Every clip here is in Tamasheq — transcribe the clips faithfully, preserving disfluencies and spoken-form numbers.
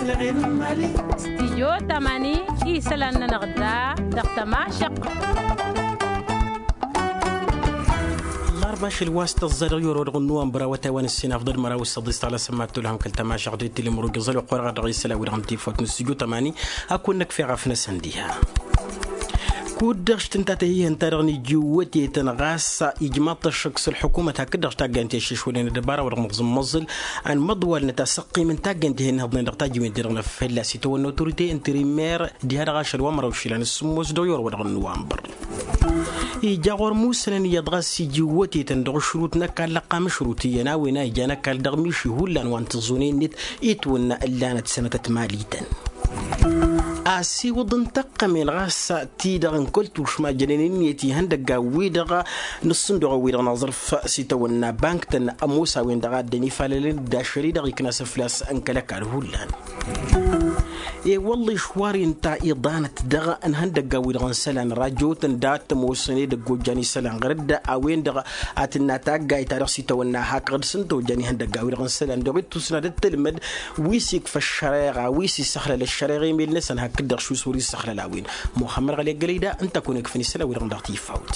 Stijyo tamani isălan-nănăɣ da dăɣ-tămašăq. Ɣarba ašăl wa s-tăẓẓa dăɣ-yoro dăɣ-nuwambăr awătay wa n-ǝssin afḍăl măraw s-săḍis tăɣlasăm ma t-tolhăm kăl-tămašăq d-tilimurugi ẓăl oqqorăɣ dăɣ-isălan wi-dăɣ n-tifawt n-stijyo tamani. Ad-kăwăn-năkf eɣaf-năsăn diha. Kud-dăɣ š-tǝnta tăhihăn-ta-dăɣ n-iji wătetăn ɣas ijmaḍ-t ăššăk s-ălḥukumăt hakd-dăɣ š-taggayăn ti-ăššăšwălnen ăddăbara-wa-dăɣ nǝẓǝmmăẓǝl. Ănmăḍwalnăt asăqqim n-taggayăn ti-hen-nǝhǝḍnen dăɣ-tajiwen-ti-dăɣ n-afălla s-itawănna otorite interimer diha dăɣ-ašăl wa n-măraw išilan s-sǝmmos dăɣ-i orăwădăɣ n-nuwambăr. Ija ɣur-musănăn iyyăḍ ɣas iji wătetăn dăɣ-ašrut n-ăkall ăqqam ašrut iyyăn a-wen a ijan ăkall dăɣ-miši hullan wa n-tǝẓẓune-net itwănna ǝllanăt sănătăt malităn. Asiwǝḍ n-tăqqămen ɣas ti-dăɣ n-kăl-tušma jănen ǝnniyăt ihăndăggan-wi-dăɣ n-ǝssǝnduɣăn-wi-dăɣ n-aẓrǝf s-itawănna bank-tăn ămoos a-wen-dăɣ a ăddăn ifalălăn d-ašăl-i-dăɣ ikna s-ǝflas n-kăl-ăkall hullan. I-wălla išwar-i ǝnta iḍanăt dăɣ-ǝnhăndăggan-wi-dăɣ n-isălan rajotăn dat-ămoosăn edăgg ojjan isălan ɣur-dd a-wen-dăɣ a tǝnna taggayt-ta-dăɣ s-itawănna hakăɣ-dd s-ǝnta ojjan ihăndăggan-wi-dăɣ n-isălan dăɣ-ittusna d-ǝttǝlmăd wi s-ikfa ăššăreɣa wi s-issăxlăl ăššăreɣa emel-năsăn hakd-dăɣ šusur issăxlăl a-wen. Muxămmăd ɣăli ăggălăy da ǝnta a kăwăn-ikfăn isălan-wi-dăɣ dăɣ-tifawt.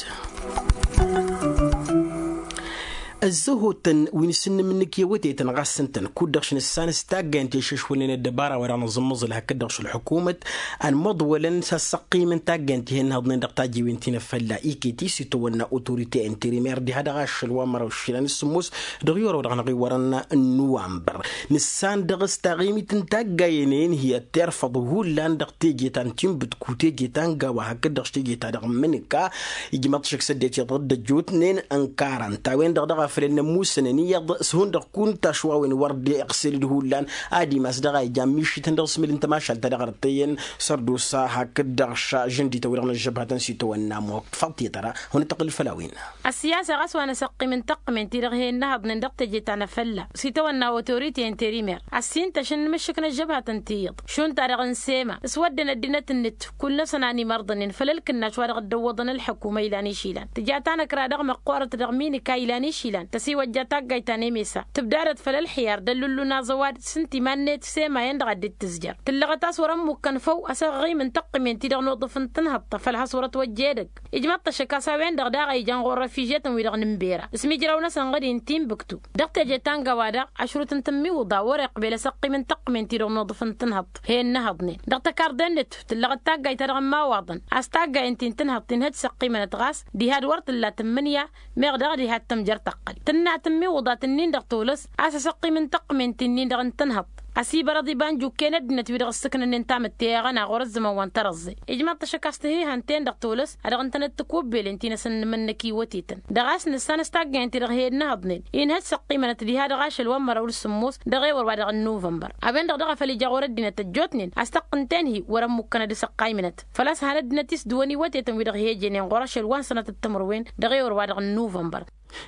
Ăzzăhotăn wi n-asǝnnǝm-nǝk i-awătetăn ɣas ǝntăn kud-dăɣ š-nǝssan s-taggayăn ti-ăššăšwălnen ăddăbara-wa-dăɣ nǝẓǝmmăẓǝl hakd-dăɣ š-ălḥukumăt ănmăḍwălăn s-ad-săqqimăn taggayăn ti-hen-nǝhǝḍnen dăɣ-tajiwen ti n-afălla iket-i s-itwănna otorite interimer diha dăɣ-ašăl wa n-măraw išilan s-sǝmmos dăɣ-i orăw-dăɣ n-aɣiwărăn n-nuwambăr. Nǝssan dăɣ-s taɣimit n-taggayen-en hi-ăttirfăḍ hullan dăɣ-teje ta n-tinbǝtku teje ta n-gawa hakd-dăɣ š-teje ta dăɣ-mǝnǝka. Ijmăḍ šăkk s-ăddinăt iyyăḍ dd-ăjjootnen ănkarăn-t a-wen-dăɣ dăɣ-a făl ănnămmusănăn iyyăḍ s-hundăɣ kunta a-s wa wen wăr dd-iɣsel d-hullan. Ad-imas dăɣ-a ijan mišităn dăɣ-s mil n-tămašalt ta dăɣ-ărtăyăn sărdusa hakd-dăɣ šăžǝndităn wi-dăɣ n-ăžžăbhătăn s-itawănna muɣfăḍ tetăra. Hănăt-tăɣǝl făll-a-wen. Ăssiyasa ɣas wa n-asăqqim n-tăqqǝmen ti-dăɣ he-innăhăḍnen dăɣ-teje ta n-afălla s-itawănna otorite interimer ăssintăš n-imǝššǝk n-ăžžăbhătăn ti-iyyăḍ šund-ta-dăɣ n-sema s-wădden ăddinăt-net. Kull-năsăn a n-imărḍănen făll-ălkǝnnaš wa dăɣ-dd-ăwwăḍăn ălḥukuma ilan išilan tǝja tanăkra dăɣ-măqqoorăt dăɣ-minika ilan išilan tăsiwăjja taggayt ta n-emesa tǝbdadăt făll-ălxiyar d-ăllullun aẓăwad s-ǝnta iman-net sema-en-dăɣ a dd-tǝzjăr tǝllăɣăt a-s wăr-ămmukkăn făw asăɣɣim n-tăqqǝmen-ti-dăɣ n-uḍǝf n-tinhăḍt făll-has wăr-ătwăjja edăgg. Ijmăḍ-t ăššăk a-s a-wen-dăɣ daɣ a ijan ɣur-răfižetăn wi-dăɣ n-ǝmbera s-imǝjraw-năsăn ɣǝdin tinbǝktu dăɣ-teje ta n-gawa daɣ ašrut n-tǝmmiwǝḍa wăr-iqbel asăqqim n-tăqqǝmen-ti-dăɣ n-uḍǝf n-tinhăḍt he-innăhăḍnen dăɣ-tăkarḍe-net tǝllăɣăt taggayt-ta-dăɣ n-imawaḍăn a-s taggayăn-ti n-tinhăḍt inhăj s-ăqqimănăt ɣas diha d-wăr tǝlla tǝmmǝnǝya. Meɣ daɣ diha d-tămjăr tăqqăl tǝnna tǝmmiwǝḍa-t-nin-dăɣ tolăs a-s asăqqim n-tăqqǝmen-ti-nin-dăɣ n-tinhăḍt ăsibărăḍ ibanjukken ăddinăt wi-dăɣ ǝssǝknănnen tamǝtte i-aɣăna ɣur-ăzzăman wa n-tărăẓẓe. Ijmăḍ-t ăššăk a-s tǝhihan-ten-dăɣ tolăs a dăɣ-ǝntănăt tǝkubbelen ti n-asǝnnǝmăn-năk iwătetăn dăɣ-a-s nǝssan s-taggayăn-ti-dăɣ he-innăhăḍnen inhăj s-ăqqimănăt diha dăɣ-ašăl wa n-măraw d-sǝmmos dăɣ-ewăr wa dăɣ-n nuvănbăr. A-wen-dăɣ daɣ a făl ija ɣur-ăddinăt ăjjootnen a-s tăqqǝnten-hi wăr-ămmukkăn ad-dăɣ-s ăqqaymǝnăt făl-a-s han ăddinăt-i s-dăwăn iwătetăn wi-dăɣ he-ejănen ɣur-ašăl wa n-sănătăt timǝrwen dăɣ-ewăr wa dăɣ-n nuvănbăr.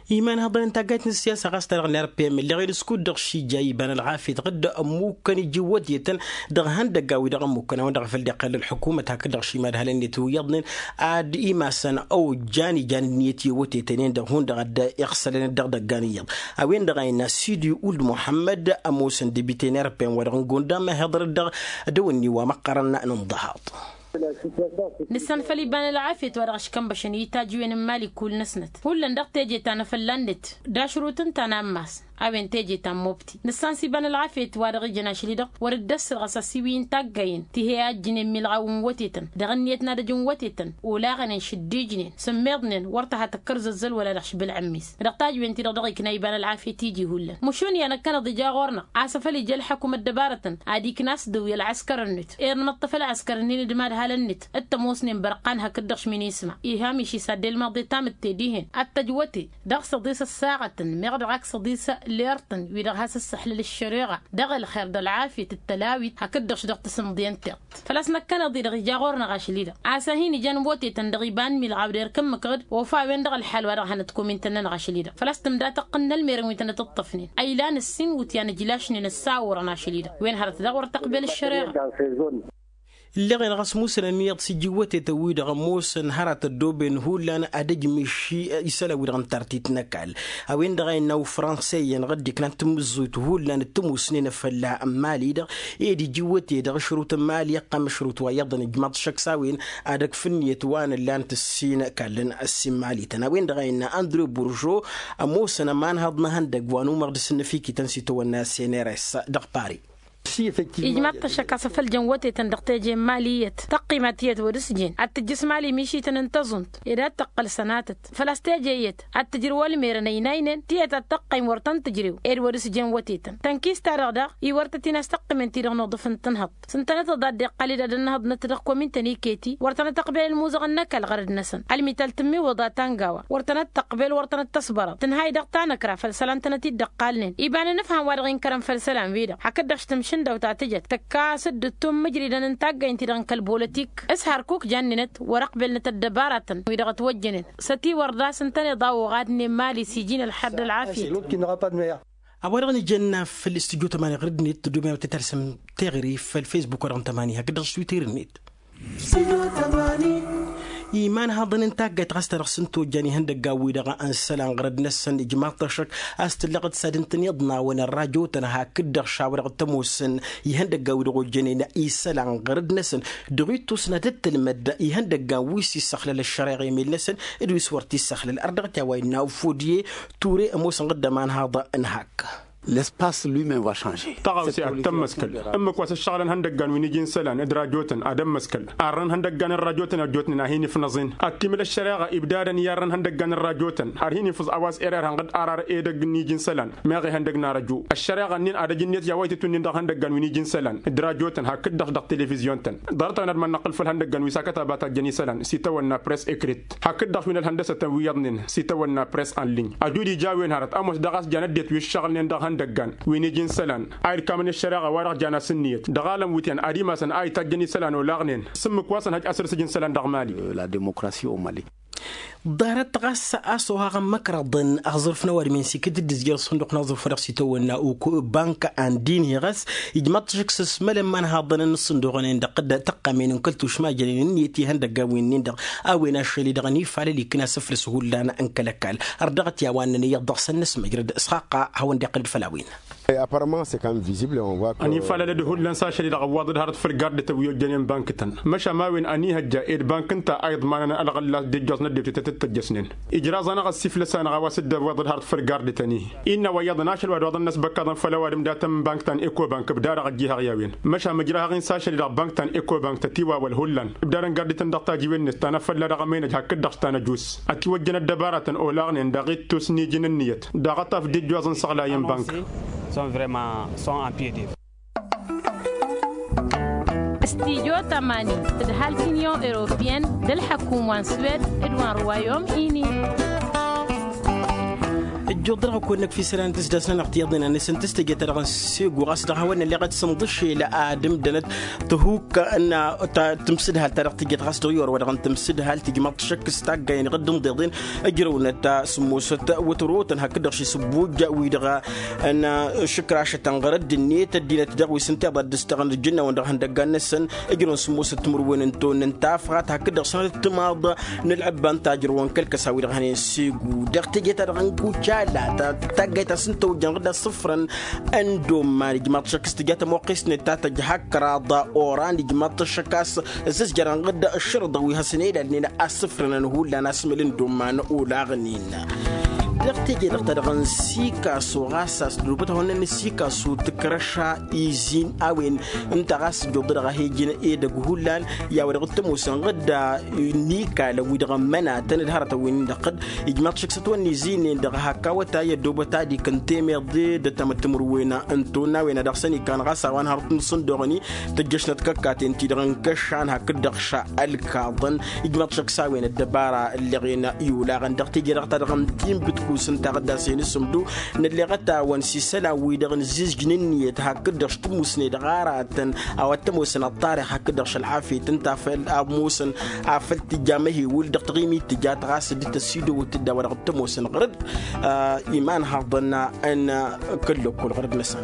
Imanhăḍăn n-taggayt n-ǝssiyasa ɣas ta-dăɣ n-rpm ălleɣ-i d-askud-dăɣ šija iban ălɣafyăt ɣǝdd ămmukăn iji iwătetăn dăɣ-ihăndăggan wi-dăɣ ămmukăn a-wen-dăɣ a făl dd-iqqăl ălḥukumăt hakd-dăɣ šimad hal ǝnniyăt wi iyyăḍnen ad-imasăn a ojjan ijan ǝnniyăt i-iwătetăn-en-dăɣ hundăɣ a dd-iɣsălăn dd-dăggan iyyăḍ. A-wen-dăɣ a innă sidi uld muḥămmăd ămoosăn debite n-rpm wa dăɣ-n gonda mehăḍrăt dăɣ-dăwănni wa măqqărăn n-ǝnḍăhaḍ. Nǝssan făl iba n-ălɣafyăt wa dăɣ-ăškănbăšăn i-tajǝwen n-imali kull-năsnăt hullan dăɣ-teje ta n-afălla-net d-ašrut ǝnta n-ammas. A-wen teje ta n-mobti nǝssan s-iba n-ălɣafyăt wa dăɣ-ijăn ašăl-i-dăɣ wăr-dd-ăssărɣăs asiwǝy n-taggayen ti he-ajjǝnen milɣaw n-wătetăn dăɣ-ǝnniyăt n-adăj n-wătetăn olaɣănen šăddijnen sǝmmeḍnen wăr tăha tăkkăr zăzzăl wăla dăɣ-šbǝlɣǝmmis. Dăɣ-tajǝwen-ti-dăɣ dăɣ-ikna iba n-ălɣafyăt iji hullan măšun i-ad-năkkăneḍ ija ɣur-năɣ a-s afăl ija ălḥăkum ăddăbarătăn ad-ikna a-s dăwǝy ălɣăskăr-net ed nǝmăṭṭăf ălɣăskăr-ǝnnin d-imadhalăn-net d-tămoosnen bărqan hakd-dăɣ šminisma. Iha miši s-ad-dd-ilmăḍe tamǝtte dihen ad-tăjwăte dăɣ-săḍis ăssaɣătăn meɣ dăɣ-ak săḍis lertăn wi-dăɣ has-ăssăxlăl ăššăreɣa dăɣ-ălxer d-ălɣafyăt d-tălawit hakd-dăɣ-š dăɣ-tasǝmḍe n-tiṭṭ. Făl-a-s năkkăneḍ-i-dăɣ ija ɣur-năɣ ašăl-i-dăɣ a-s ad-hin-ijăn wătetăn dăɣ-iba n-milɣaw d-erk ǝmmǝk ɣǝd ofa a-wen-dăɣ ălḥal wa dăɣ-hanăt-komintăn-nănăɣ ašăl-i-dăɣ făl-a-s tǝmda tăqqǝn n-ălmerăn wi tănăt-ǝṭṭăfnen a ilan ǝssin wǝtyan ǝjlašnen ăssawărăn ašăl-i-dăɣ wen hărăt daɣ wăr tăqbel ăššăreɣa. Ǝlleɣ-en ɣas musǝlăn iyyăḍ s-iji iwwătetăn-wi-dăɣ ămoosăn hărăt ăddooben hullan ad-ăjmǝš isălan-wi-dăɣ n-tartit n-ăkall. A-wen-dăɣ a innă ufranse-iyyăn ɣǝddǝknan tamǝzzuyt hullan d-tămoosnen fălla n-mali-dăɣ. Ed iji iwwăte dăɣ-ašrǝwt n-mali ăqqam ašrǝwt wa iyyăḍăn ijmaḍ-t šăkk s-a-wen ad-ăkf ǝnniyăt wa n-ǝllan tǝssin kallăn ăssimmalităn a-wen-dăɣ a innă andrew burjo. Ămoosăn ămanhăḍ n-ehăndăgg wa n-umăɣ d-asǝnnăfikităn s-itawănna seneres dăɣ-pari. Ijmaḍ-t ăššăk a-s afăl jăn wătetăn dăɣ-teje n-mali iyyăt tăqqimat iyyăt wăr s-jen ad-tǝjjǝs mali mišităn n-tăẓunt ed ad-tăqqăl sănatăt făl-a-s teje iyyăt ad-tǝjrǝw ălmerăn ăynaynen tiyyăt ad-tăqqăym wăr tăn-tǝjrew ed wăr s-jen wătetăn tănkist-ta-dăɣ daɣ iwărtăt-in a-s tăqqǝmen-ti-dăɣ n-uḍǝf n-tǝnhăḍt s-ǝntănăt ăḍaddăɣ qăled ad-ănnăhăḍnăt dăɣ-komin-tăn iket-i wăr tănăt-ăqbel ălmuẓăɣ n-ăkall ɣărăd-năsăn ălmital tǝmmiwǝḍ a tangawa wăr tănăt-tăqbel wăr tănăt-tăsbărăḍ tǝnhay dăɣ-tanăkra făll-isălan tănăt-dd-ăqqalnen iba n-anǝfham wa dăɣ-inkărăn făll-isălan-wi-dăɣ hakd-dăɣ s-tǝmšǝndăw ta tǝjăt tăkka a-s dd-ǝttum mǝjridăn n-taggaynt-ti-dăɣ n-kăl-bolotik s-hărkuk jannen-t wăr-ăqbelnăt ăddăbaratăn-wi-dăɣ ătwăjjănen s-ătiwăr daɣ s-ǝntăneḍ a oɣadnen mali s-iji n-ălḥăr d-ălɣafyăt. A-wa-dăɣ n-ijănna făll-studyo tămani ɣǝrǝd-net tăddoben a wătăt alsăm teɣăre făll-facebook-wa-dăɣ n-tămani hakd-dăɣ s-twitter-net. Imanhăḍăn n-taggayt ɣas ta dăɣ-săn tojjan ihăndăggan-wi-dăɣ n-isălan ɣărăd-năsăn ijmaḍ-t ăššăk a-s tǝllăɣ d-sad ǝntăneḍ n-a-wen ărrajo-tăn hakd-dăɣ šaw-dăɣ tămoosăn ihăndăggan-wi-dăɣ ojjănen isălan ɣărăd-năsăn dăɣ-ittus n-ad-dd-tǝlmăd ihăndăggan wi s-issăxlăl ăššăreɣa emel-năsăn d-wi s-wăr t-issăxlăl ărdăɣăt i-a-wa innă ufudye ture ămoosăn ɣǝddăman haḍ n-hak. L'espace lui-même va changer. Tăɣawse ad-tămmăskăl ǝmmǝk wa s-ǝššăɣǝlăn ihăndăggan wi n-iji n-isălan d-rajotăn ad-ămmăskăl arrăn ihăndăggan n-rajotăn ăjjootnen a hin-ifnăẓen ad-timǝl ăššăreɣa ibdadăn i-arrăn ihăndăggan n-rajotăn ar hin-ifǝẓ a-wa s-ere irhanɣ-dd arar edăgg n-iji n-isălan meɣ ihăndăgg n-arăju ăššăreɣa-nin ad-ăj ǝnniyăt i-a-wa itǝtwǝnnin dăɣ-ihăndăggan wi n-iji n-isălan d-rajotăn hakd-dăɣ dăɣ-telefizyon-tăn ḍarăt-awăn ad-mănnăqqǝl făll-ihăndăggan wi s-akătabat a ăjjăn isălan s-itawănna press ekrit hakd-dăɣ wi n-ălhăndăsătăn wi iyyăḍnen s-itawănna press anlǝny ăjud ija a-wen hărăt ămoos daɣ a-s jan ăddinăt wi ǝššăɣǝlnen dăɣ-ihăndăggan wi n-iji n-isălan a ilkamăn i-ăššăreɣa wa-dăɣ jan a-s ǝnniyăt dăɣ-alăn wi t-iyyăn ad-imasăn a itajjăn isălan olaɣnen s-ǝmmǝk wa s-ănhăj asăr s-iji n-isălan dăɣ-mali. La demokrasi o mali. Ḍarăt ɣas a-s ohaɣăn măkraḍăn aẓrǝf n-ăwadǝm-en s-ikǝd-dd ǝzjăr ăṣṣunduq n-aẓrǝf wa dăɣ-s itawănna uku bank andi-inhi ɣas ijmaḍ-t ašăk s-ăsmălăn imanhaḍăn n-ăṣṣunduɣăn-en dăɣ-tăqqamen n-kăl-tušma jănen ǝnniyăt ihăndăggan wi-nin-dăɣ a-wen ašăl-i-dăɣ ănifalăl ikna asǝflǝs hullan n-kăl-ăkall. Ărdăɣăt i-a-wa ǝnnăn iyyăḍ dăɣ-săn n-ăsmăjrăd s-xaqqa a hawăn-dd-iqqǝl-dd făll-a-wen. Ănifalăl-dd hullan s-ašăl-i-dăɣ ăwwaḍ-dd hărăt făll-gardătăn wi ojjănen bank-tăn măšan ma-wen ănihăjja ed bank ǝnta a iḍmanăn ălɣăllas d-ijjoẓ n-ăddewt i-tăt-dd-tăjjăsnen. Ijraẓ-anăɣ ăssiflăs-anăɣ a-wa s-dd-ăwwaḍ-dd hărăt făll-gardătăn-i innă wa iyyăḍ n-ašăl wa d-oḍăn n-ăsbăkkaḍăn făll-ăwadǝm dat-ămbank ta n-eko bank ǝbdadăɣ ăjjihăɣ i-a-wen. Măšan mǝjrahăɣ-in s-ašăl-i-dăɣ bank ta n-eko bank tătiwawăl hullan ǝbdadăn gardătăn dăɣ-tajiwen-net ta n-afălla dăɣ-amăynăj hakd-dăɣ s-ta n-ăjus. Ătiwăjjăn ăddăbaratăn olaɣnen dăɣ-ittus n-iji n-ǝnniyăt daɣ ad-tafǝd ijjoẓ n-săɣlayăn bank. Sont vrement sont en pied d-œuvre. Studyo tămani tǝdhal t-inyon europeyăn d-ălḥăkum wa n-swed d-wa n-ruwayom ini. Ǝjjuḍ dăɣ-akăwăn-năk f-isălan tǝsdasnănăɣ tiyyăḍnen a nǝsǝntǝs teje-ta-dăɣ n-segu ɣas dăɣ-hawăn-nălleɣăt s-inḍǝšel ad-ǝmdănăt tăhukka n-tǝmsǝdhal ta dăɣ-tǝjjăt ɣas dăɣ-i orăwădăɣ n-tǝmsǝdhal tǝjmaḍ-t šăkk s-taggayăn iɣǝdd ǝnḍeḍen. Ǝjrăwnăt s-ǝmmosăt wătărotăn hakd-dăɣ šisǝbbuj-wi-dăɣ n-ašǝkrašătăn ɣur-ăddinnet ăddinăt dăɣ-wi s-ǝnta iḍa dd-ǝstăɣăn d-ǝjǝnnawăn dăɣ-ihăndăggan-năsăn. Ǝjrăwăn s-ǝmmosăt timǝrwen n-tonnăn tafɣat hakd-dăɣ s-hanăt timaḍ n-ălɣǝbba n-tajrǝwăn kăl-kăsa-wi-dăɣ hănen segu dăɣ-teje-ta-dăɣ n-kucala ta taggayt ta s-ǝnta ojjăn ɣǝdda s-ǝfrăn. Ăndomman ijmaḍ-t šăkk s-tǝja tămoqqest-net ta tăjha ăkraḍ oran ijmaḍ-t šăkk a-s ăzzăzjărăn ɣǝdda ăššărǝḍăn wi hasăn-ilalnen a-s ǝfrănăn hullan asmăl n-dd-omman olaɣnen. Dăɣ-teje-dăɣ ta dăɣ-n sikaso ɣas a-s dd-obăt hawăn-năn n-sikaso tǝkrăša izin a-wen ǝnta ɣas dd-oḍădăɣ a he-ǝjǝn edăgg hullan. I-a-wa dăɣ-t ămoosăn ɣǝdda n-ikalăn wi-dăɣ ămmănatăn d-hărătăn wi-nin dăɣ-t dd-ijmaḍ šăkk s-ătwănna izinen-dăɣ hak awătay ăddoobăt ad-ikǝn temeḍe d-ăttamăt timǝrwen n-tonna a-wen a dăɣ-săn ikan ɣas a-wa n-hărăt n-isǝndoɣăn-i tăjjăšnăt kăkkaten-ti-dăɣ n-kăšan hakd-dăɣ ša ălkaḍăn. Ijmaḍ šăkk s-a-wen ăddăbara ǝlleɣen i-olaɣăn dăɣ-teje-dăɣ ta dăɣ-n tinbǝtkus ǝnta ɣǝddas-en s-ǝmdu. Nălleɣăt-awăn s-isălan-wi-dăɣ n-ǝzzǝzjǝn ǝnniyăt hakd-dăɣ s-tǝmmusne dăɣ-aratăn a-wa t-ămoosăn ăṭṭarix hakd-dăɣ šălɣafyăt ǝnta a făl ămoosăn afăl tǝjja amăhewǝl dăɣ-taɣimit tǝjat ɣas dd-tăsidăwăt-dd a-wa dăɣ-t ămoosăn ɣăr-dd imanhaḍăn n-kăl-lăkkol ɣăr-dd-năsăn.